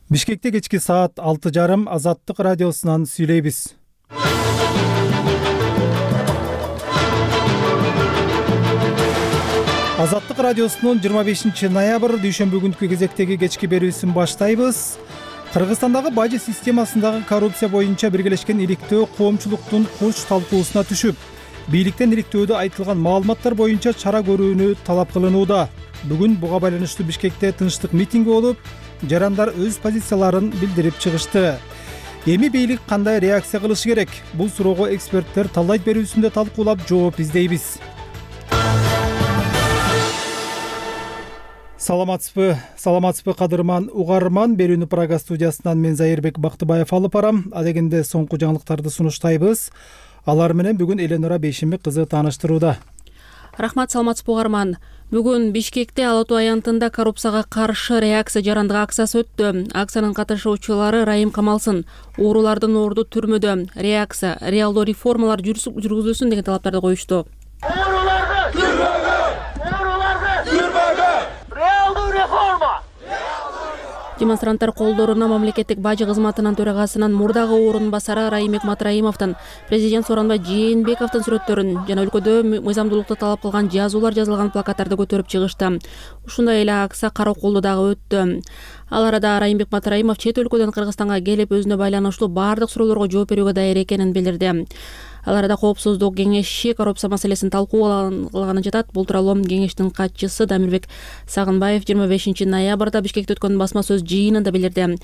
Бишкекте кечки саат 6:30 Азаттык радиосунан сүйлөйбүз. Азаттык радиосунун 25 ноябрь дүйшөмбү күнкү кезектеги кечки берүүсүн баштайбыз. Кыргызстандагы бажы системасындагы коррупция боюнча биргелешкен иликтөө коомчулуктун коч талкуусуна түшүп, бийликтен иликтөөдө айтылган маалыматтар боюнча чара көрүүнү талап кылынууда. Бүгүн буга байланыштуу Бишкекте тынчтык митинги болуп, жарандар өз позицияларын билдирип чыгышты. Эми бийлик кандай реакция кылышы керек? Бул суроого эксперттер талдайт берүүсүндө талкуулап жооп издейбиз. Саламатсызбы кадырман угарман, берүүнү Прага студиясынан мен Зайырбек Бактыбаев алып барам. Адегенде соңку жаңылыктарды сунуштайбыз. Алар менен бүгүн Эленора Бейшимбек кызы тааныштырууда. Рахмат, саламатсызбы угарман. Бүгүн Бишкекте Ала Тоо аянтында коррупцияга каршы реакция жарандык акциясы өттү. Акциянын катышуучулары Райым Камалсын, оорулардын орду түрмөдө, реакция, реалдуу реформалар жүргүзүлсүн деген талаптарды коюшту. Ооруларды түрмөгө! Ооруларды түрмөгө! Реалдуу реформа! Демонстранттар колдоруна мамлекеттик бажы кызматынын төрагасынын мурдагы орун басары Райымбек Матраимовдун, президент Сооронбай Жээнбековдун сүрөттөрүн жана өлкөдө мыйзамдуулукту талап кылган жазуулар жазылган плакаттарды көтөрүп чыгышты. Ушундай эле акция Караколдо дагы өттү. Ал арада Райымбек Матраимов чет өлкөдөн Кыргызстанга келип, өзүнө байланыштуу бардык суроолорго жооп берүүгө даяр экенин билдирди. Ал арада Коопсуздук кеңеши коррупция маселесин талкуулаганы жатат. Бул тууралуу кеңештин катчысы Дамирбек Сагынбаев 25 ноябрда Бишкекте өткөн басма сөз жыйынында билдирди.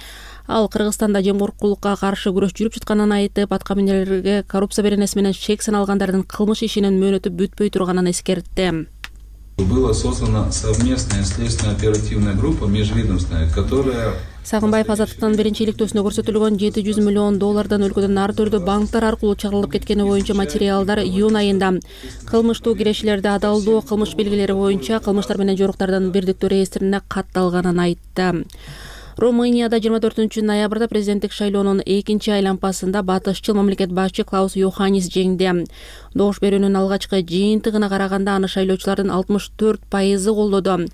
Ал Кыргызстанда жемкорлукка каршы күрөш жүрүп жатканын айтып, аткаминерлерге коррупция беренеси менен шек саналгандардын кылмыш ишинин мөөнөтү бүтпөй турганын эскертти. Была создана совместная следственно-оперативная группа межведомственная, которая... Сагынбаев Азаттыктын биринчи иликтөөсүндө көрсөтүлгөн $700 миллион өлкөдөн ар түрдүү банктар аркылуу чыгарылып кеткени боюнча материалдар июнь айында кылмыштуу кирешилерди адалдоо кылмыш белгилери боюнча кылмыштар менен жоруктардын бирдиктүү реестрине катталганын айтты. Румынияда 24 ноябрда президенттик шайлоонун экинчи айланпасында батышчыл мамлекет башчы Клаус Йоханнис жеңди. Добуш берүүнүн алгачкы жыйынтыгына караганда аны шайлоочулардын 64% колдоду.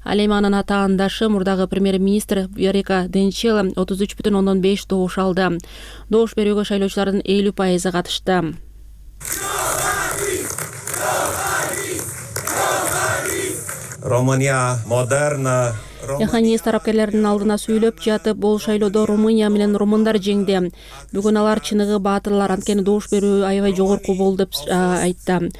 Ал эми анын атаандашы мурдагы премьер-министр Виорика Денчела 33,5 добуш алды. Добуш берүүгө шайлоочулардын 50% катышты. Румыния модерна. Йоханнис тарапкерлердин алдына сүйлөп жатып, бул шайлоодо Румыния менен румындар жеңди. Бүгүн алар чыныгы баатырлар, анткени добуш берүү аябай жогорку болду деп айтты.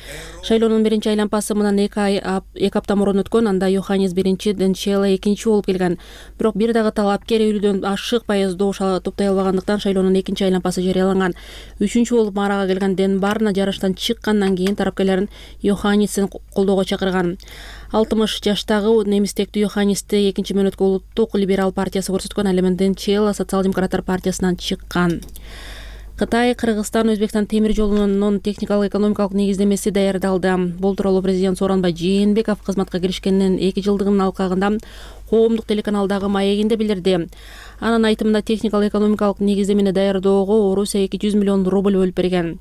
Шайлоонун биринчи айланпасы мындан 2 апта мурун өткөн. Анда Йоханнис биринчи, Денчела экинчи болуп келген. Бирок бир дагы талапкер 50-дөн ашык пайыз добуш топтой албагандыктан шайлоонун экинчи айланпасы жарыяланган. Үчүнчү болуп марага келген Денбарна жарыштан чыккандан кийин тарапкерлерин Йоханнисин колдоого чакырган. 60 жаштагы немистектүү Йоханнисти экинчи мөөнөткө улуттук либерал партиясы көрсөткөн. Ал эми Денчела социал-демократтар партиясынан чыккан. Кытай, Кыргызстан, Өзбекстан темир жолунун техникалык экономикалык негиздемеси даярдалды. Бул тууралуу президент Сооронбай Жээнбеков кызматка киришкенин 2 жылдыгынын алкагында коомдук телеканалдагы маегинде билдирди. Анын айтымында техникалык экономикалык негиздемени даярдоого Орусия 200 миллион рубль бөлүп берген.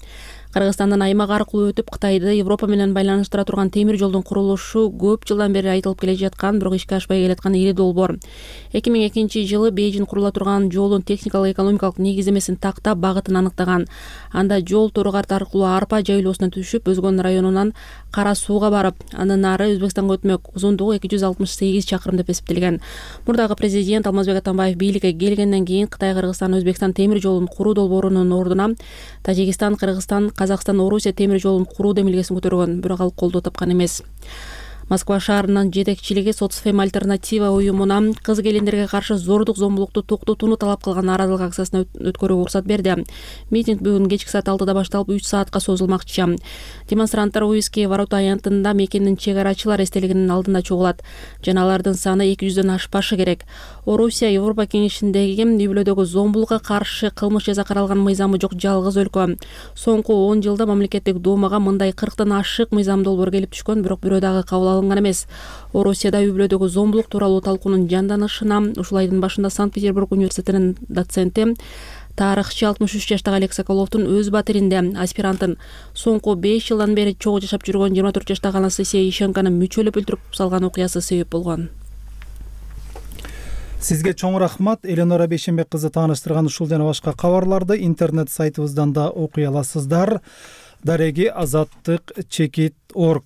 Кыргызстандын аймак аркылуу өтүп, Кытайды Европа менен байланыштыра турган темир жолдун курулушу көп жылдан бери айтылып келе жаткан, бирок ишке ашпай келаткан ири долбоор. 2002 жылы Бейжин курула турган жолдун техникалык экономикалык негиздемесин тактап, багытын аныктаган. Анда жол Торгарт аркылуу Арпа жайлоосуна түшүп, Өзгөн районунан Кара Сууга барып, андан ары Өзбекстанга өтмөк. Узундугу 268 чакырым деп эсептелген. Мурдагы президент Алмазбек Атамбаев бийликке келгенден кийин Кытай, Кыргызстан, Өзбекстан темир жолун куруу долбоорунун ордуна Тажикстан, Кыргызстан, Казакстан, Орусия темир жолун куруу демилгесин көтөргөн, бирок ал колдоо тапкан эмес. Москва шаарынын жетекчилиги Соцфем альтернатива уюмуна кыз келиндерге каршы зордук зомбулукту токтотууну талап кылган нааразылык акциясына өткөрүүгө уруксат берди. Митинг бүгүн кечки саат 6-да башталып 3 саатка созулмакчы. Демонстранттар Уйские ворота аянтында мекенин чек арачылар эстелигинин алдында чогулат. Жана алардын саны 200дөн ашпашы керек. Орусия Европа кеңешиндеги үй-бүлөдөгү зомбулукка каршы кылмыш жаза каралган мыйзамы жок жалгыз өлкө. Соңку 10 жылда мамлекеттик думага мындай 40тан ашык мыйзам долбоор келип түшкөн, бирок бирөө дагы кабыл алынган эмес. Орусияда үй-бүлөдөгү зомбулук тууралуу талкуунун жанданышына ушул айдын башында Санкт-Петербург университетинин доценти тарыхчы 63 жаштагы Олег Соколовдун өз батиринде аспирантын соңку 5 жылдан бери чогуу жашап жүргөн 24 жаштагы Анастасия Ищенканы мүчөлөп өлтүрүп салган окуясы себеп болгон. Сизге чоң рахмат. Эленора Бейшенбек кызы тааныштырган ушул жана башка кабарларды интернет сайтыбыздан да окуй аласыздар. Дареги azattik.org.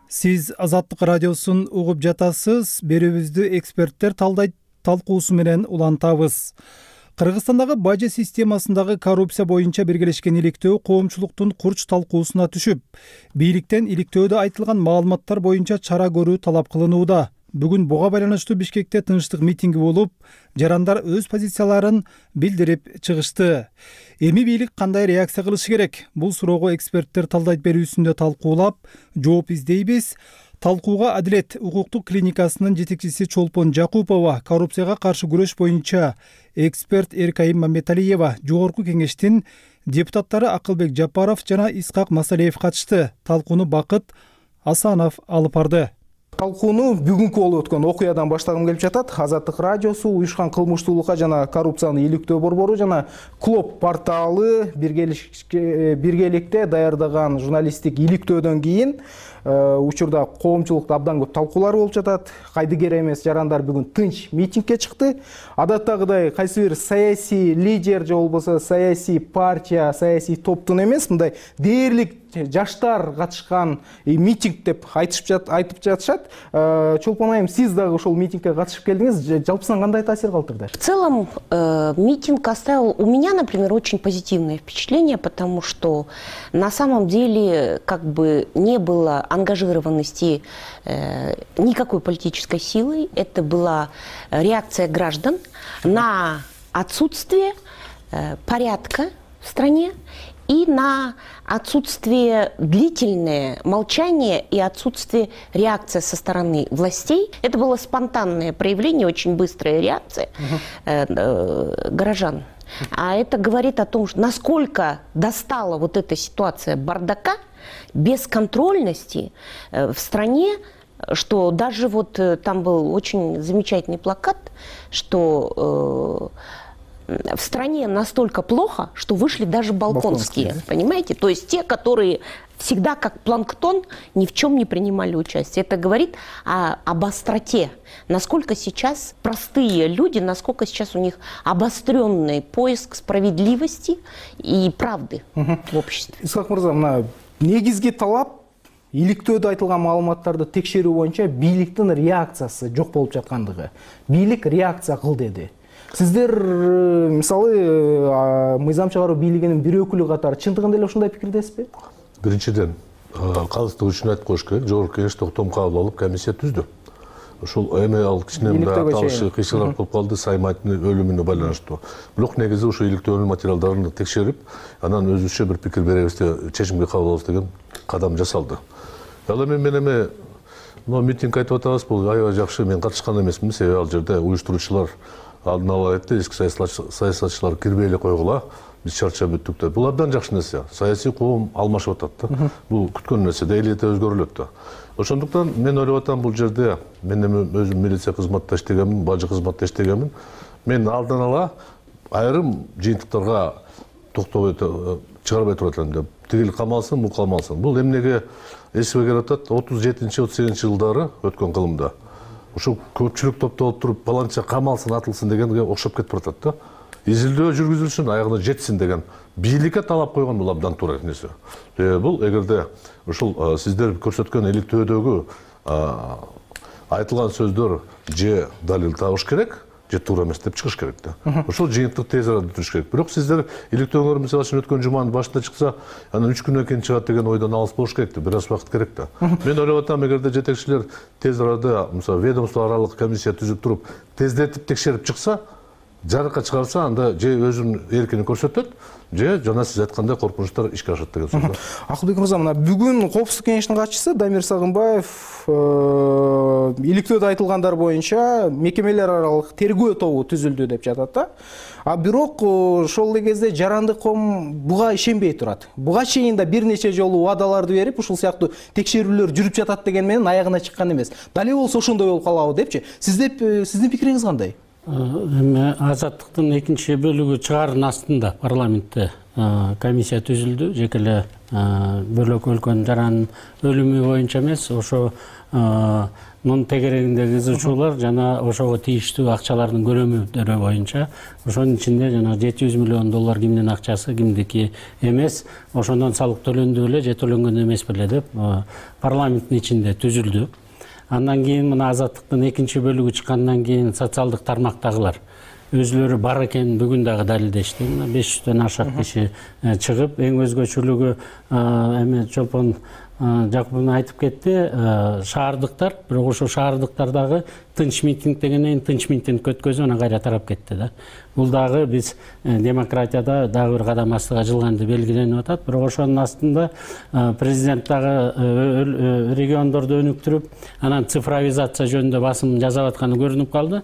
Сиз Азаттык радиосун угуп жатасыз. Берүүбүздү эксперттер талкуусу менен улантабыз. Кыргызстандагы бажы системасындагы коррупция боюнча биргелешкен иликтөө коомчулуктун курч талкуусуна түшүп, бийликтен иликтөөдө айтылган маалыматтар боюнча чара көрүү талап кылынууда. Бүгүн буга байланыштуу Бишкекте тынчтык митинги болуп, жарандар өз позицияларын билдирип чыгышты. Эми бийлик кандай реакция кылышы керек? Бул суроого эксперттер талдайт берүүсүндө талкуулап, жооп издейбиз. Талкууга Адилет укуктук клиникасынын жетекчиси Чолпон Жакупова, коррупцияга каршы күрөш боюнча эксперт Эркайым Мамметалиева, жогорку кеңештин депутаттары Акылбек Жапаров жана Исхак Масалиев катышты. Талкууну Бакыт Асанов алып барды. Талкууну бүгүнкү болуп өткөн окуядан баштагым келип жатат. Азаттык радиосу, уюшкан кылмыштуулукка жана коррупцияны иликтөө борбору жана Клоп порталы биргеликте даярдаган журналисттик иликтөөдөн кийин учурда коомчулукта абдан көп талкуулар болуп жатат. Кайдыгер эмес жарандар бүгүн тынч митингге чыкты. Адаттагыдай кайсы бир саясий лидер же болбосо саясий партия, саясий топтун эмес, мындай дээрлик жаштар катышкан митинг деп айтып жатышат. Чолпон айым, сиз дагы ошол митингге катышып келдиңиз. Жалпысынан кандай таасир калтырды? В целом митинг оставил у меня, например, очень позитивное впечатление, потому что на самом деле как бы не было ангажированности никакой политической силы. Это была реакция граждан на отсутствие порядка в стране и на отсутствие длительное молчание и отсутствие реакции со стороны властей. Это было спонтанное проявление, очень быстрая реакция горожан. А это говорит о том, насколько достала вот эта ситуация бардака, бесконтрольности в стране, что даже вот там был очень замечательный плакат, что в стране настолько плохо, что вышли даже балконские, понимаете? То есть те, которые всегда как планктон ни в чем не принимали участие. Это говорит об остроте, насколько сейчас простые люди, насколько сейчас у них обостренный поиск справедливости и правды в обществе. Исхак мырза, негизги талап иликтөөдө айтылган маалыматтарды текшерүү боюнча бийликтин реакциясы жок болуп жаткандыгы. Бийлик реакция кыл деди. Сиздер мисалы мыйзам чыгаруу бийлигинин бир өкүлү катары чындыгында эле ушундай пикирдесизби? Биринчиден, калыстык үчүн айтып коюш керек. Жогорку кеңеш токтом кабыл алып комиссия түздү. Ушул эми ал кичине аталышы кыйшылык болуп калды, Саймайтын өлүмүнө байланыштуу. Бирок негизи ушу иликтөөнүн материалдарын текшерип, анан өзүбүзчө бир пикир беребиз деп чечимге кабыл алабыз деген кадам жасалды. Ал эми митинг айтып атабыз, бул аябай жакшы. Мен катышкан эмесмин, себеби ал жерде уюштуруучулар алдын ала айтты, эски саясатчылар кирбей эле койгула, биз чарчап бүттүк деп. Бул абдан жакшы нерсе. Саясий коом алмашып атат да. Бул күткөн нерсе, элете өзгөрүлөт да. Ошондуктан мен ойлоп атам, бул жерде мен өзүм милиция кызматта иштегенмин, бажы кызматта иштегенмин. Мен алдын ала айрым жыйынтыктарга токтобой чыгарбай турат элем деп. Тигил камалсын, бул камалсын. Бул эмнеге эсиме келип атат? 37-38 жылдары өткөн кылымда. Ушул көпчүлүк топто болуп туруп, баланча камалсын, атылсын дегенге окшоп кетип атат да. Изилдөө жүргүзүлсүн, аягына жетсин деген бийликке талап койгон бул абдан туура нерсе. Бул эгерде ушул сиздер көрсөткөн иликтөөдөгү айтылган сөздөр же далил табыш керек, же туура эмес деп чыгыш керек да. Ошол жыйынтык тез арада бүтүрүш керек. Бирок сиздер иликтөөңөр мисалы үчүн өткөн жуманын башында чыкса, анан 3 күнөн кийин чыгат деген ойдон алыс болуш керек да. Бир аз убакыт керек да. Мен ойлоп атам, эгерде жетекчилер тез арада, мисалы ведомство аралык комиссия түзүп туруп, тездетип текшерип чыкса, жарыкка чыгарса, анда же өзүнүн эркин көрсөтөт, же жана сиз айткандай коркунучтар ишке ашат деген сөз. Акылбек мырза, мына бүгүн Коопсуздук кеңешинин катчысы Дамир Сагынбаев иликтөөдө айтылгандар боюнча мекемелер аралык тергөө тобу түзүлдү деп жатат да. Бирок ошол эле кезде жарандык коом буга ишенбей турат. Буга чейин да бир нече жолу убадаларды берип, ушул сыяктуу текшерүүлөр жүрүп жатат деген менен аягына чыккан эмес. Дали болсо ошондой болуп калабы депчи. Сиздин пикириңиз кандай? Азаттыктын экинчи бөлүгү чыгаардын астында парламентте комиссия түзүлдү. Жеке эле бөлөк өлкөнүн жаранын өлүмү боюнча эмес, ошо нун тегерегиндеги ызычуулар жана ошого тийиштүү акчалардын көлөмүдөрү боюнча, ошонун ичинде жана $700 миллион кимдин акчасы, кимдики эмес, ошондон салык төлөндү беле же төлөнгөн эмес беле деп парламенттин ичинде түзүлдү. Андан кийин мына азаттыктын экинчи бөлүгү чыккандан кийин социалдык тармактагылар өзүлөрү бар экенин бүгүн дагы далилдешти. 500дөн ашык киши чыгып, эң өзгөчөлүгү эме Чолпон Жакупов айтып кетти, шаардыктар, бирок ошо шаардыктардагы тынч митинг дегенден тынч митинг өткөзүп, анан кайра тарап кетти да. Бул дагы биз демократияда дагы бир кадам астыга жылганды белгиленип атат. Бирок ошонун астында президент дагы региондорду өнүктүрүп, анан цифровизация жөнүндө басым жасап атканы көрүнүп калды.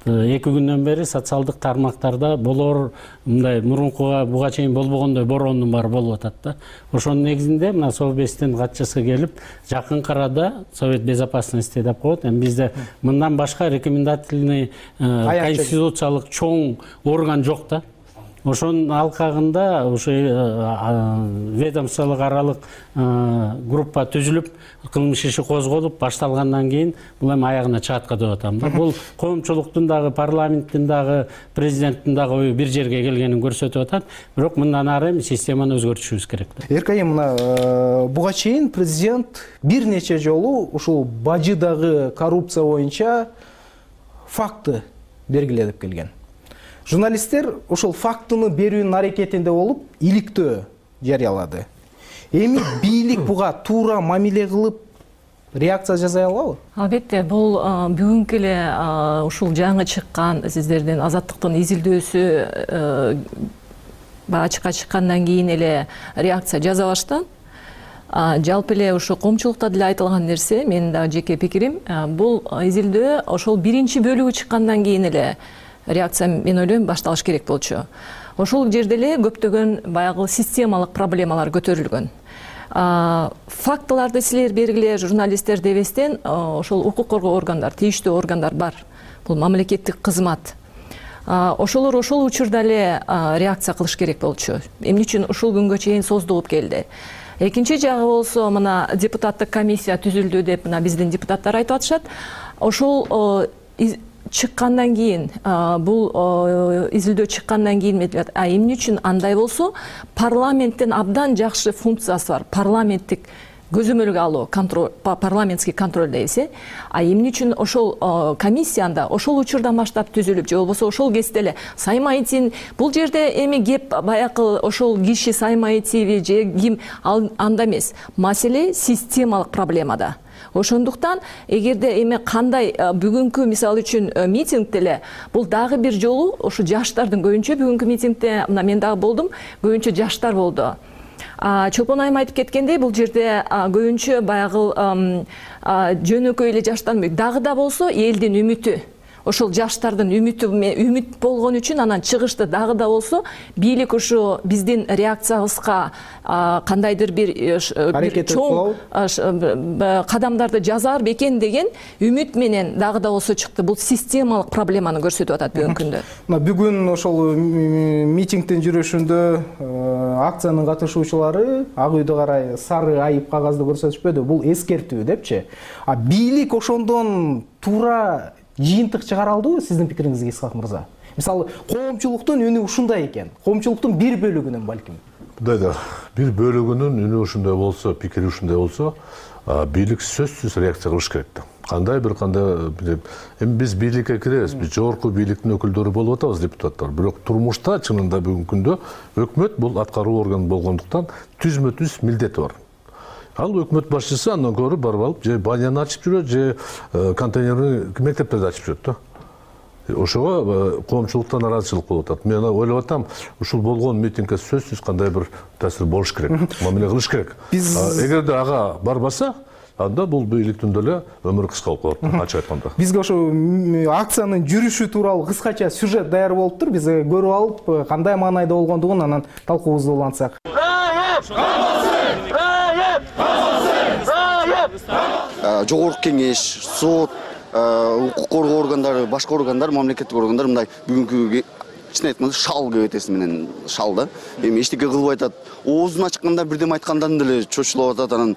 2 күндөн бери социалдык тармактарда болор мындай мурункуга буга чейин болбогондой бороондун баары болуп атат да. Ошонун негизинде мына Совбездин катчысы келип, жакын арада Совет безопасности деп коет. Эми бизде мындан башка рекомендательный конституциялык чоң орган жок да. Ошонун алкагында ошо ведомстволук аралык группа түзүлүп, кылмыш иши козголуп башталгандан кийин бул эми аягына чыгаткы деп атам да. Бул коомчулуктун дагы, парламенттин дагы, президенттин дагы ою бир жерге келгенин көрсөтүп атат. Бирок мындан ары эми системаны өзгөртүшүбүз керек да. Эркайым, мына буга чейин президент бир нече жолу ушул бажыдагы коррупция боюнча факты белгилеп келген. Журналисттер ушул фактыны берүүнүн аракетинде болуп, иликтөө жарыялады. Эми бийлик буга туура мамиле кылып, реакция жасай алабы? Албетте, бул бүгүнкү эле ушул жаңы чыккан сиздердин азаттыктын изилдөөсү ачыкка чыккандан кийин эле реакция жасабаштан. Жалпы эле ушу коомчулукта деле айтылган нерсе, менин дагы жеке пикирим, бул изилдөө ошол биринчи бөлүгү чыккандан кийин эле реакция, мен ойлойм, башталыш керек болчу. Ошол жерде эле көптөгөн баягы системалык проблемалар көтөрүлгөн. Фактыларды силер бергиле, журналисттер дебестен, ошол укук коргоо органдар, тийиштүү органдар бар. Бул мамлекеттик кызмат. Ошолор ошол учурда эле реакция кылыш керек болчу. Эмне үчүн ушул күнгө чейин создугуп келди? Экинчи жагы болсо, мына депутаттык комиссия түзүлдү деп мына биздин депутаттар айтып атышат. Ошол чыккандан кийин, бул изилдөө чыккандан кийин эмне үчүн андай болсо, парламенттин абдан жакшы функциясы бар. Парламенттик көзөмөлгө алуу, контроль, парламентский контроль дейбиз. Эмне үчүн ошол комиссияда ошол учурдан баштап түзүлүп, же болбосо ошол кезде эле Саймаитин, бул жерде эми кеп баягы ошол киши Саймаитиби же ким анда эмес. Маселе системалык проблемада. Ошондуктан, эгерде эми кандай бүгүнкү мисалы үчүн митингде эле бул дагы бир жолу ошо жаштардын көбүнчө бүгүнкү митингде мына мен дагы болдум, көбүнчө жаштар болду. Чолпон айым айтып кеткендей, бул жерде көбүнчө баягы жөнөкөй эле жаштар дагы да болсо элдин үмүтү. Ошол жаштардын үмүт болгон үчүн анан чыгышты дагы да болсо бийлик ушу биздин реакциябызга кандайдыр бир чоң кадамдарды жазар бекен деген үмүт менен дагы да болсо чыкты. Бул системалык проблеманы көрсөтүп атат бүгүнкү күндө. Бүгүн ошол митингдин жүрүшүндө акциянын катышуучулары Ак үйдө карай сары айып кагазды көрсөтүшпөдү. Бул эскертүү депчи. Бийлик ошондон туура жыйынтык чыгара алдыбы сиздин пикириңизге, Исхак мырза? Мисалы, коомчулуктун үнү ушундай экен. Коомчулуктун бир бөлүгүнүн балким. Мындай да, бир бөлүгүнүн үнү ушундай болсо, пикири ушундай болсо, бийлик сөзсүз реакция кылыш керек да. Кандай эми биз бийликке киребиз, биз жогорку бийликтин өкүлдөрү болуп атабыз, депутаттар. Бирок турмушта чынында бүгүнкү күндө өкмөт бул аткаруу органы болгондуктан түзмө-түз милдети бар. Ал өкмөт башчысы андан көрүп барып алып, же баняны ачып жүрөт, же контейнерни мектептерди ачып жүрөт да. Ошого коомчулуктан нараазычылык болуп атат. Мен ойлоп атам, ушул болгон митингге сөзсүз кандай бир таасир болуш керек, мамиле кылыш керек. Эгерде ага барбаса, анда бул бийликтин деле өмүрү кыска болуп калат, ачык айтканда. Бизге ошо акциянын жүрүшү тууралуу кыскача сюжет даяр болуптур. Биз көрүп алып, кандай маанайда болгондугун анан талкуубузду улантсак. Жогорку кеңеш, сот, укук коргоо органдары, башка органдар, мамлекеттик органдар мындай бүгүнкү чын айтканда шал кебетеси менен шал да. Эми эчтеке кылып айтат. Оозун ачканда бирдеме айткандан деле чочулуп атат, анан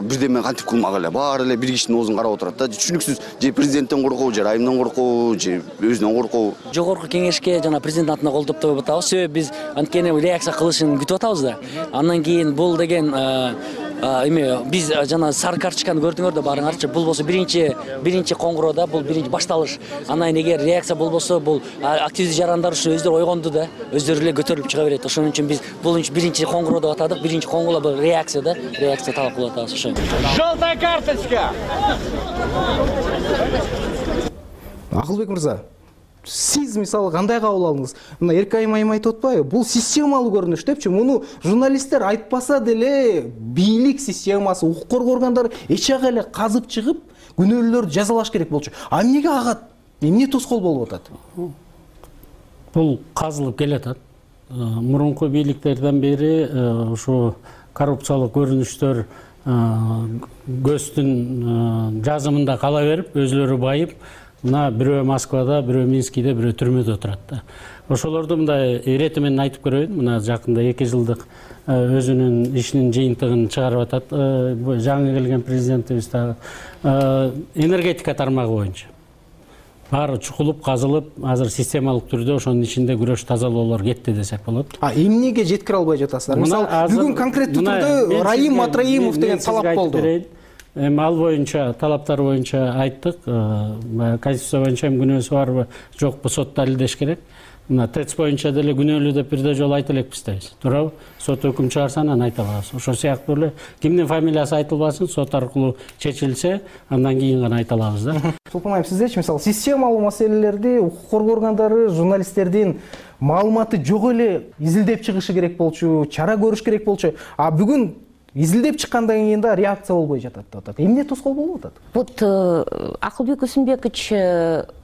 бирдеме кантип кылмак эле. Баары эле бир кишинин оозун карап отурат да. Түшүнүксүз. Же президенттен коркуу, же райымдан коркуу, же өзүнөн коркуу. Жогорку кеңешке жана президент атына кол топтоп атабыз. Себеби биз анткени реакция кылышын күтүп атабыз да. Андан кийин бул деген эме биз жана сары карточканы көрдүңөр да баарыңарчы. Бул болсо биринчи коңгуроода, бул биринчи башталыш. Анан эгер реакция болбосо, бул активдүү жарандар ушу өздөрү ойгонду да, өздөрү эле көтөрүлүп чыга берет. Ошон үчүн биз бул биринчи коңгуроо деп атадык. Биринчи коңгуроо бул реакция да, реакция талап кылып атабыз ошо. Желтая карточка. Акылбек мырза, сиз мисалы кандай кабыл алдыңыз? Мына Эркайым айым айтып атпайбы? Бул системалуу көрүнүш депчи. Муну журналисттер айтпаса деле бийлик системасы, укук коргоо органдары эчак эле казып чыгып, күнөөлөрдү жазалаш керек болчу. А эмнеге агат? Эмне тоскоол болуп атат? Бул казылып келатат. Мурунку бийликтерден бери ушу коррупциялык көрүнүштөр көздүн жазымында кала берип, өзлөрү байып, мына бирөө Москвада, бирөө Минскиде, бирөө түрмөдө отурат да. Ошолорду мындай ирети менен айтып көрөйүн. Мына жакында 2 жылдык өзүнүн ишинин жыйынтыгын чыгарып атат жаңы келген президентибиз дагы. Энергетика тармагы боюнча баары чукулуп, казылып, азыр системалык түрдө ошонун ичинде күрөш тазалоолор кетти десек болот. Эмнеге жеткире албай жатасыздар? Мисалы, бүгүн конкреттүү түрдө Райым Матраимов деген талап болду. Эми ал боюнча, талаптар боюнча айттык. Конституция боюнча күнөөсү барбы, жокпу сот далилдеш керек. Мына ТЭЦ боюнча деле күнөөлүү деп бирде жолу айта элекпиз дейбиз. Туурабы? Сот өкүм чыгарса анан айта алабыз. Ошол сыяктуу эле кимдин фамилиясы айтылбасын, сот аркылуу чечилсе, андан кийин гана айта алабыз да. Сулпан айым, сиздечи мисалы системалуу маселелерди укук коргоо органдары журналисттердин маалыматы жок эле изилдеп чыгышы керек болчу, чара көрүш керек болчу. А бүгүн изилдеп чыккандан кийин да реакция болбой жатат деп атат. Эмне тоскоол болуп атат? Вот Акылбек Усенбекович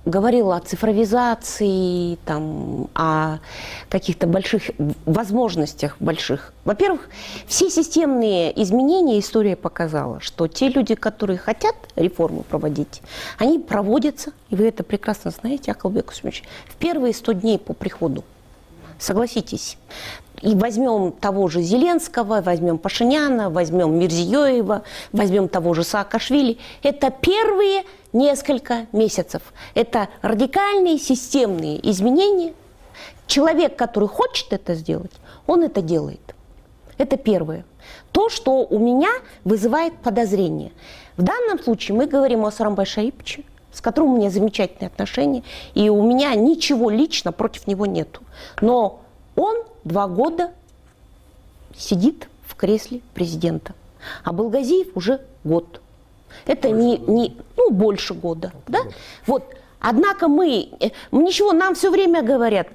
говорил о цифровизации, там, о каких-то больших возможностях больших. Во-первых, все системные изменения история показала, что те люди, которые хотят реформы проводить, они проводятся, и вы это прекрасно знаете, Акылбек Усенбекович, в первые 100 дней по приходу. Согласитесь. И возьмем того же Зеленского, возьмем Пашиняна, возьмем Мирзиёева, возьмем того же Саакашвили. Это первые несколько месяцев. Это радикальные системные изменения. Человек, который хочет это сделать, он это делает. Это первое. То, что у меня вызывает подозрение. В данном случае мы говорим о Сооронбай Шариповиче, с которым у меня замечательные отношения, и у меня ничего лично против него нету. Но он 2 года сидит в кресле президента, а Балгазиев уже год. Это больше года, да? Вот. Однако ничего, нам все время говорят,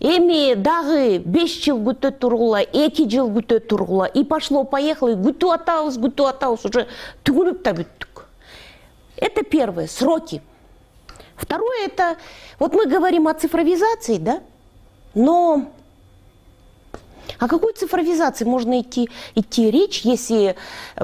эми дагы 5 жыл күтө тургула, 2 жыл күтө тургула, и пошло-поехало, и күтүп атабыз, уже түгүнүп та бүттүк. Это первое, сроки. Второе, это, вот мы говорим о цифровизации, да, но о какой цифровизации можно идти речь, если,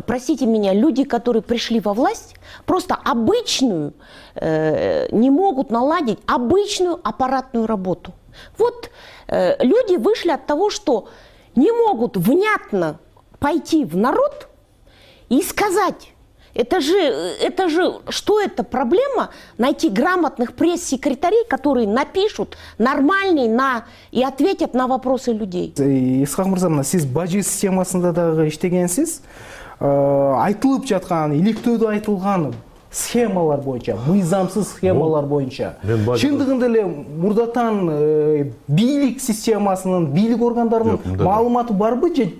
простите меня, люди, которые пришли во власть, просто обычную, не могут наладить обычную аппаратную работу. Вот люди вышли от того, что не могут внятно пойти в народ и сказать, это же, что это проблема, найти грамотных пресс-секретарей, которые напишут нормальный и ответят на вопросы людей. Исхак мырза, сиз бажы системасында дагы иштегенсиз, айтылып жаткан, иликтөөдө айтылган схемалар боюнча, мыйзамсыз схемалар боюнча, чындыгында эле мурдатан бийлик системасынын, бийлик органдарынын маалыматы барбы же?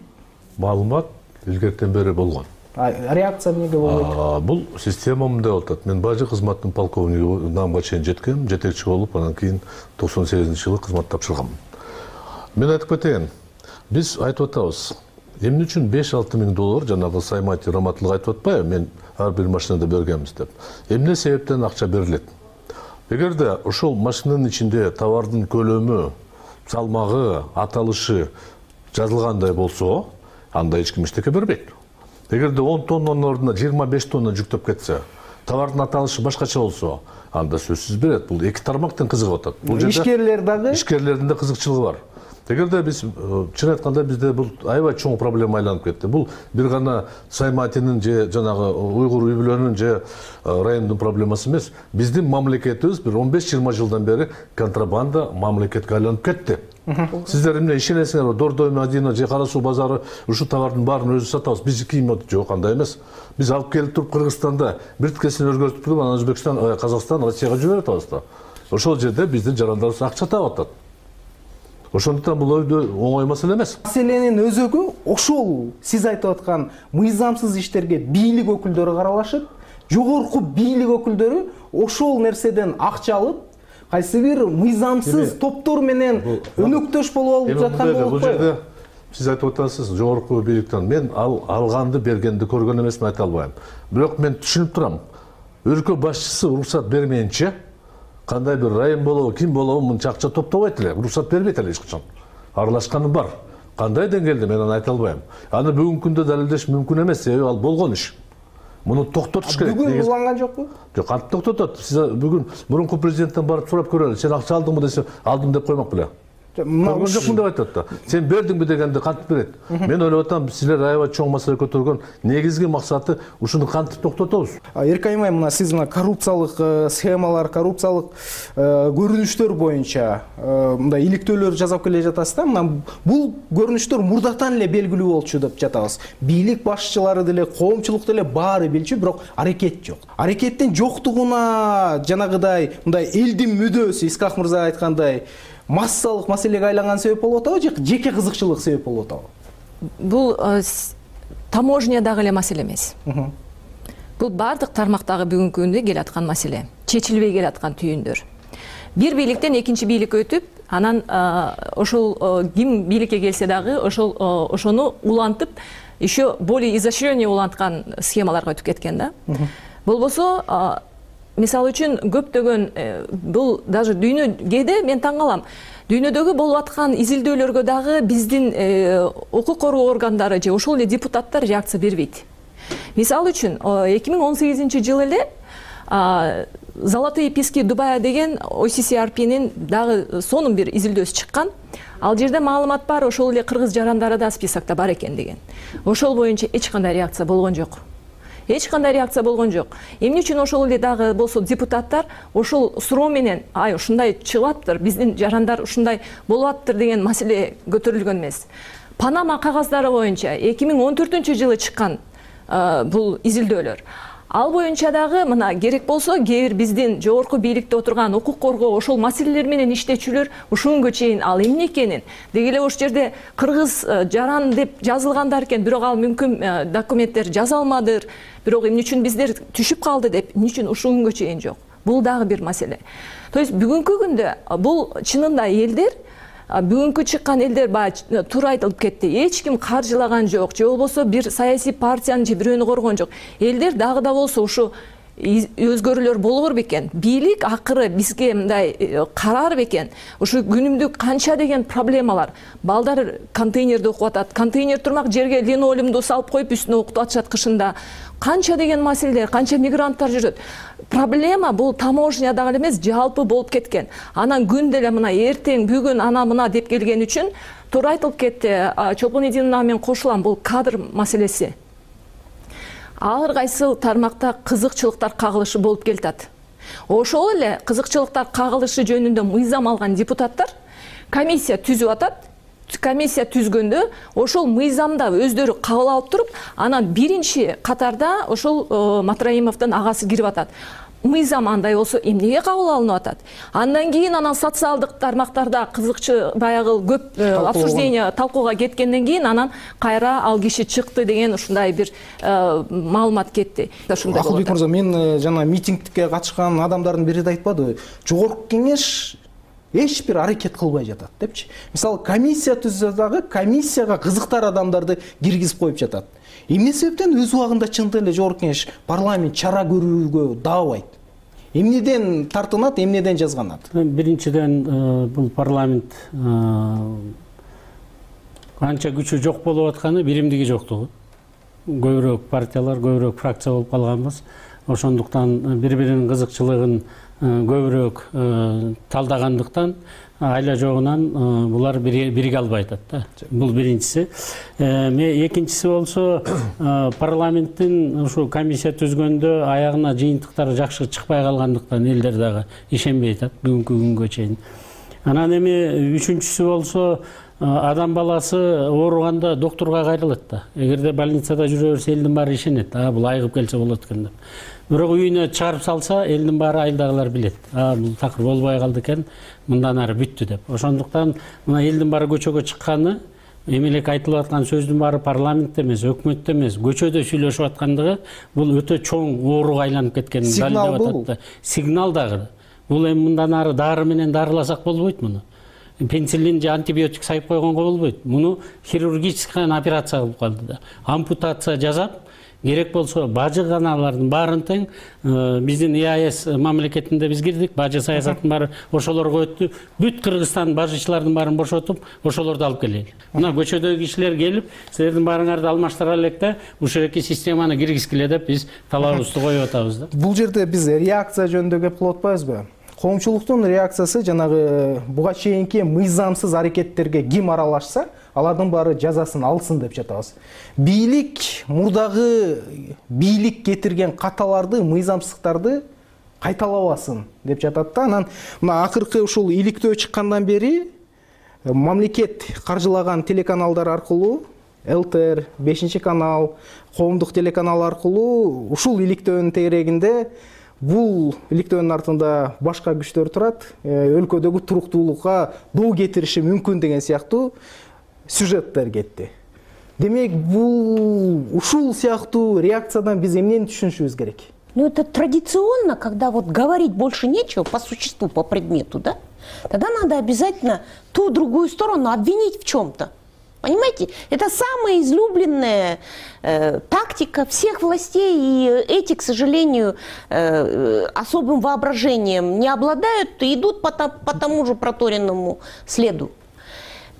Маалымат илгертен бери болгон. Реакция эмнеге болбойт? Бул система мындай болуп атат. Мен бажы кызматтын полковниги намга чейин жеткем, жетекчи болуп, анан кийин 98-жылы кызмат тапшыргам. Мен айтып кетейин, биз айтып атабыз, эмне үчүн 5-6 миң доллар, жанагы Саймати Раматылык айтып атпайбы, мен ар бир машинада бергенбиз деп. Эмне себептен акча берилет? Эгерде ошол машинанын ичинде товардын көлөмү, салмагы, аталышы жазылгандай болсо, анда эч ким эчтеке бербейт. Эгерде 10 тоннанын ордуна 25 тонна жүктөп кетсе, товардын аталышы башкача болсо анда сөзсүз берет. Бул эки тармактын кызыгып атат. Бул жерде ишкерлердин да кызыкчылыгы бар. Эгерде биз чын айтканда бизде бул аябай чоң проблема айланып кетти. Бул бир гана Сайматинин же жанагы уйгур үй бүлөнүн же райондун проблемасы эмес. Биздин мамлекетибиз бир 15-20 жылдан бери контрабанда мамлекетке айланып кетти. Сиздер эмне ишенесиңерби? Дордой, Мадина же Кара суу базары ушу товардын баарын өзүбүз сатабыз. Биз кийин жок, андай эмес. Биз алып келип туруп Кыргызстанда бир тикесин өзгөртүп туруп, анан Өзбекстан, Казакстан, Россияга жиберип атабыз да. Ошол жерде биздин жарандарыбыз акча таап атат. Ошондуктан бул өйдө оңой маселе эмес. Маселенин өзөгү ошол сиз айтып аткан мыйзамсыз иштерге бийлик өкүлдөрү каралашып, жогорку бийлик өкүлдөрү ошол нерседен акча алып, кайсы бир мыйзамсыз топтор менен өнөктөш болуп алып жаткан болуп бул жерде сиз айтып атасыз жогорку бийликтен. Мен алганды бергенди көргөн эмесмин айта албайм. Бирок мен түшүнүп турам. Өлкө башчысы уруксат бермейинче кандай бир район болобу, ким болобу мынча акча топтобойт эле, уруксат бербейт эле эч качан. Аралашканы бар. Кандай деңгээлде мен аны айта албайм. Аны бүгүнкү күндө далилдеш мүмкүн эмес, себеби ал болгон иш. Муну токтотуш керек. Бүгүн уланган жокпу? Жок, кантип токтотот? Сиз бүгүн мурунку президенттен барып сурап көрөлү. Сен акча алдыңбы десе, алдым деп коймок беле. Көргөн жокмун деп айтат да. Сен бердиңби дегенде кантип берет? Мен ойлоп атам, силер аябай чоң маселе көтөргөн негизги максаты ушуну кантип токтотобуз? Эркайым айым, сиз коррупциялык схемалар, коррупциялык көрүнүштөр боюнча мындай иликтөөлөр жасап келе жатасыз да. Бул көрүнүштөр мурдатан эле белгилүү болчу деп жатабыз. Бийлик башчылары деле, коомчулук деле баары билчү, бирок аракет жок. Аракеттин жоктугуна жанагыдай мындай элдин мүдөөсү, Исхак мырза айткандай, массалык маселеге айланган себеп болуп атабы же жеке кызыкчылык себеп болуп атабы? Бул таможня дагы эле маселе эмес. Бул бардык тармактагы бүгүнкү күндө келаткан маселе, чечилбей келаткан түйүндөр. Бир бийликтен экинчи бийликке өтүп, анан ошол ким бийликке келсе дагы ошону улантып, еще более изощренный уланткан схемаларга өтүп кеткен да. Болбосо мисалы үчүн көптөгөн бул даже дүйнөгө мен таң калам. Дүйнөдөгү болуп аткан изилдөөлөргө дагы биздин укук коргоо органдары же ошол эле депутаттар реакция бербейт. Мисалы үчүн 2018-жылы эле Золотые пески Дубая деген OCCRP'нин дагы сонун бир изилдөөсү чыккан. Ал жерде маалымат бар, ошол эле кыргыз жарандары да списокто бар экен деген. Ошол боюнча эч кандай реакция болгон жок. Эч кандай реакция болгон жок. Эмне үчүн ошол эле дагы болсо депутаттар ошол суроо менен ушундай чыгып атыптыр, биздин жарандар ушундай болуп атыптыр деген маселе көтөрүлгөн эмес. Панама кагаздары боюнча 2014-жылы чыккан бул изилдөөлөр. Ал боюнча дагы мына керек болсо кээ бир биздин жогорку бийликте отурган укук коргоо ошол маселелер менен иштечүлөр ушунгө чейин ал эмне экенин, деги эле ошол жерде кыргыз жаран деп жазылгандар экен, бирок ал мүмкүн документтер жаза алмадыр, бирок эмне үчүн биздер түшүп калды деп, эмне үчүн ушунгө чейин жок. Бул дагы бир маселе. То есть бүгүнкү күндө бул чынында элдер бүгүнкү чыккан элдер баягы туура айтылып кетти. Эч ким каржылаган жок, же болбосо бир саясий партияны же бирөөнү коргон жок. Элдер дагы да болсо ушу өзгөрүүлөр болор бекен. Бийлик акыры бизге мындай карар бекен. Ушу күнүмдүк канча деген проблемалар. Балдар контейнерде окуп атат. Контейнер турмак жерге линолеумду салып коюп үстүнө окутуп атышат кышында. Канча деген маселелер, канча мигранттар жүрөт. Проблема бул таможня дагы эмес, жалпы болуп кеткен. Анан күн деле мына эртең, бүгүн ана мына деп келген үчүн туура айтылып кетти. Чолпон Эдиновна менен кошулам, бул кадр маселеси. Ар кайсы тармакта кызыкчылыктар кагылышы болуп келатат. Ошол эле кызыкчылыктар кагылышы жөнүндө мыйзам алган депутаттар комиссия түзүп атат. Комиссия түзгөндө ошол мыйзамда өздөрү кабыл алып туруп, анан биринчи катарда ошол Матраимовдун агасы кирип атат. Мыйзам андай болсо эмнеге кабыл алынып атат? Андан кийин анан социалдык тармактарда кызыкчы баягы көп обсуждение талкууга кеткенден кийин анан кайра ал киши чыкты деген ушундай бир маалымат кетти. Акылбек мырза, мен жана митингге катышкан адамдардын бири да айтпадыбы? Жогорку кеңеш эч бир аракет кылбай жатат депчи. Мисалы комиссия түзсө дагы комиссияга кызыктар адамдарды киргизип коюп жатат. Эмне себептен өз убагында чындык эле жогорку кеңеш парламент чара көрүүгө даабайт? Эмнеден тартынат, эмнеден жазганат? Биринчиден бул парламент канча күчү жок болуп атканы, биримдиги жоктугу. Көбүрөөк партиялар, көбүрөөк фракция болуп калганбыз. ошондуктан бири биринин кызыкчылыгын көбүрөөк талдагандыктан айла жогунан булар бириге албай атат да. Бул биринчиси. Экинчиси болсо парламенттин ушу комиссия түзгөндө аягына жыйынтыктары жакшы чыкпай калгандыктан элдер дагы ишенбей атат бүгүнкү күнгө чейин. Анан эми үчүнчүсү болсо адам баласы ооруганда доктурга кайрылат да. Эгерде больницада жүрө берсе элдин баары ишенет. Бул айыгып келсе болот экен деп. Бирок үйүнө чыгарып салса элдин баары айылдагылар билет. Бул такыр болбой калды экен, мындан ары бүттү деп. Ошондуктан мына элдин баары көчөгө чыкканы, эмелек айтылып аткан сөздүн баары парламентте эмес, өкмөттө эмес, көчөдө сүйлөшүп аткандыгы бул өтө чоң ооруга айланып кеткенин далилдеп атат да. Сигнал дагы. Бул эми мындан ары дары менен дарыласак болбойт муну. Пенициллин же антибиотик сайып койгонго болбойт. Муну хирургический операция кылып калды да. Ампутация жасап, керек болсо бажы каналардын баарын тең биздин ИАС мамлекетинде биз кирдик, бажы саясаттын баары ошолорго өттү. Бүт Кыргызстан бажычылардын баарын бошотуп, ошолорду алып келели. Мына көчөдөгү кишилер келип, силердин баарыңарды алмаштыра элек да, ушул эки системаны киргизгиле деп биз талабыбызды коюп атабыз да. Бул жерде биз реакция жөнүндө кеп кылып атпайбызбы? Коомчулуктун реакциясы жанагы буга чейинки мыйзамсыз аракеттерге ким аралашса, алардын баары жазасын алсын деп жатабыз. Бийлик мурдагы бийлик кетирген каталарды, мыйзамсыздыктарды кайталабасын деп жатат да. Анан мына акыркы ушул иликтөө чыккандан бери мамлекет каржылаган телеканалдар аркылуу ЛТР, 5-канал, коомдук телеканал аркылуу ушул иликтөөнүн тегерегинде бул иликтөөнүн артында башка күчтөр турат, өлкөдөгү туруктуулукка доо кетириши мүмкүн деген сыяктуу сюжеттер кетти. Демек, бул ушул сыяктуу реакциядан биз эмнени түшүнүшүбүз керек? Ну, это традиционно, когда вот говорить больше нечего по существу, по предмету, да? Тогда надо обязательно ту другую сторону обвинить в чем-то. Понимаете? Это самая излюбленная тактика всех властей, и эти, к сожалению, особым воображением не обладают и идут по тому же проторенному следу.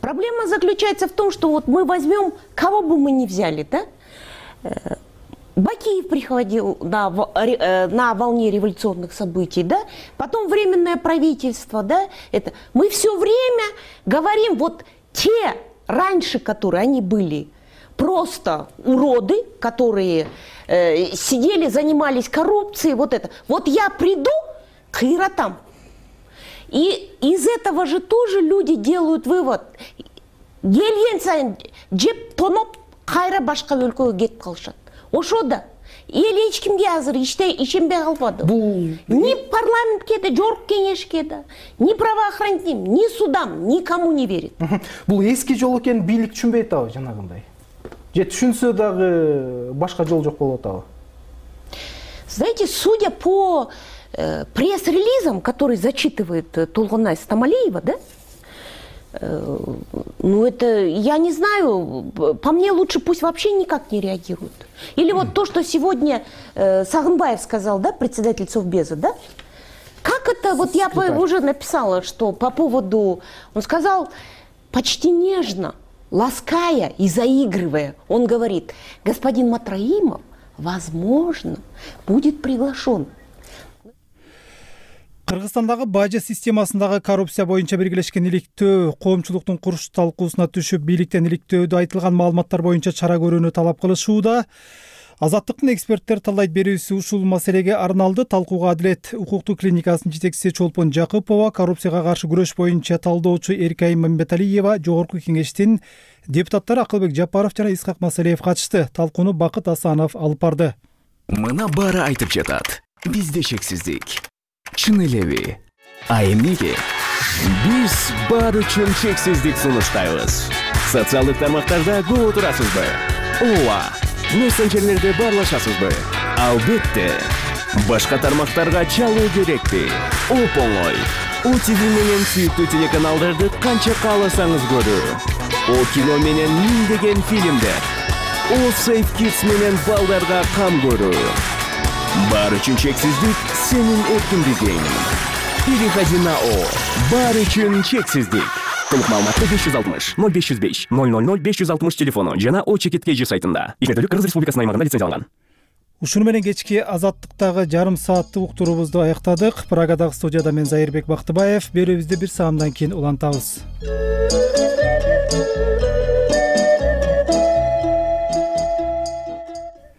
Проблема заключается в том, что вот мы возьмем, кого бы мы ни взяли, да? Бакиев приходил на волне революционных событий, да? Потом Временное правительство, да? Это. Мы все время говорим, вот те раньше, которые они были просто уроды, которые сидели, занимались коррупцией, вот это. Вот я приду к иротам. И из этого же тоже люди делают вывод. Келген сайын жеп тоноп кайра башка өлкөгө кетип калышат. Ошо да эл эч кимге азыр ишенбей калбады. Ни парламентке да, жогорку кеңешке да, ни правоохранителям, ни судам, никому не верит. Бул эски жол экенин бийлик түшүнбөй атабы жанагындай? Же түшүнсө дагы башка жол жок болуп атабы? Знаете, судя по пресс-релизам, который зачитывает Толгонай Стамалиева, да? Ну, это, я не знаю, по мне лучше пусть вообще никак не реагируют. Или вот то, что сегодня Сагынбаев сказал, да, председатель Совбеза, да? Как это, вот я уже написала, что по поводу, он сказал почти нежно, лаская и заигрывая, он говорит, господин Матраимов, возможно, будет приглашен. Кыргызстандагы бажы системасындагы коррупция боюнча биргелешкен иликтөө коомчулуктун куруш талкуусуна түшүп, бийликтен иликтөөдө айтылган маалыматтар боюнча чара көрүүнү талап кылышууда. Азаттыктын эксперттер талдайт берүүсү ушул маселеге арналды. Талкууга Адилет укуктуу клиникасынын жетекчиси Чолпон Жакыпова, коррупцияга каршы күрөш боюнча талдоочу Эркайым Мамбеталиева, жогорку кеңештин депутаттары Акылбек Жапаров жана Исхак Масалиев катышты. Талкууну Бакыт Асанов алып барды. Мына баары айтып жатат. Бизде чексиздик. Чын элеби? А эмнеге? Биз баары үчүн чексиздик сунуштайбыз. Социалдык тармактарда көп отурасызбы? Ооба. Мессенджерлерде баарлашасызбы? Албетте. Башка тармактарга чалуу керекпи? Оп-оңой. ОТВ менен сүйүктүү телеканалдарды канча кааласаңыз көрүү. О кино менен миңдеген фильмдер. О Safe Kids менен балдарга кам көрүү. Баары үчүн чексиздик сенин эркиндигиң. Переходи на О. Баары үчүн чексиздик. Толук маалыматты 560 0505 000 560 телефону жана О Чекит KG сайтында. Иштетүүлүк Кыргыз Республикасынын аймагында лицензияланган. Ушуну менен кечки Азаттыктагы жарым сааттык уктуруубузду аяктадык. Прагадагы студияда мен Зайырбек Бактыбаев. Берүүбүздү бир саамдан кийин улантабыз.